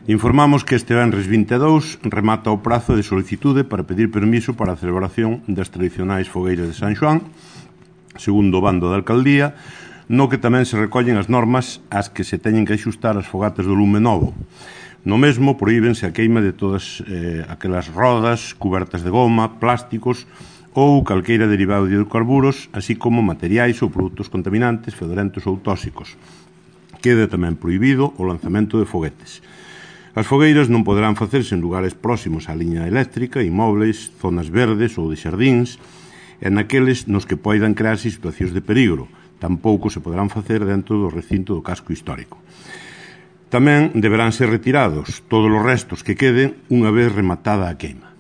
Informamos que este venres 22 remata o prazo de solicitude para pedir permiso para a celebración das tradicionais fogueiras de San Xoán, segundo o bando da alcaldía, no que tamén se recollen as normas ás que se teñen que axustar as fogatas do lume novo. No mesmo, prohíbense a queima de todas aquelas rodas, cubertas de goma, plásticos ou calqueira derivado de hidrocarburos, así como materiais ou produtos contaminantes, fedorentos ou tóxicos. Queda tamén prohibido o lanzamento de foguetes. As fogueiras non poderán facerse en lugares próximos á liña eléctrica, inmóveis, zonas verdes ou de xardíns, e naqueles nos que poidan crearse situacións de perigo. Tampouco se poderán facer dentro do recinto do casco histórico. Tamén deberán ser retirados todos os restos que queden unha vez rematada a queima.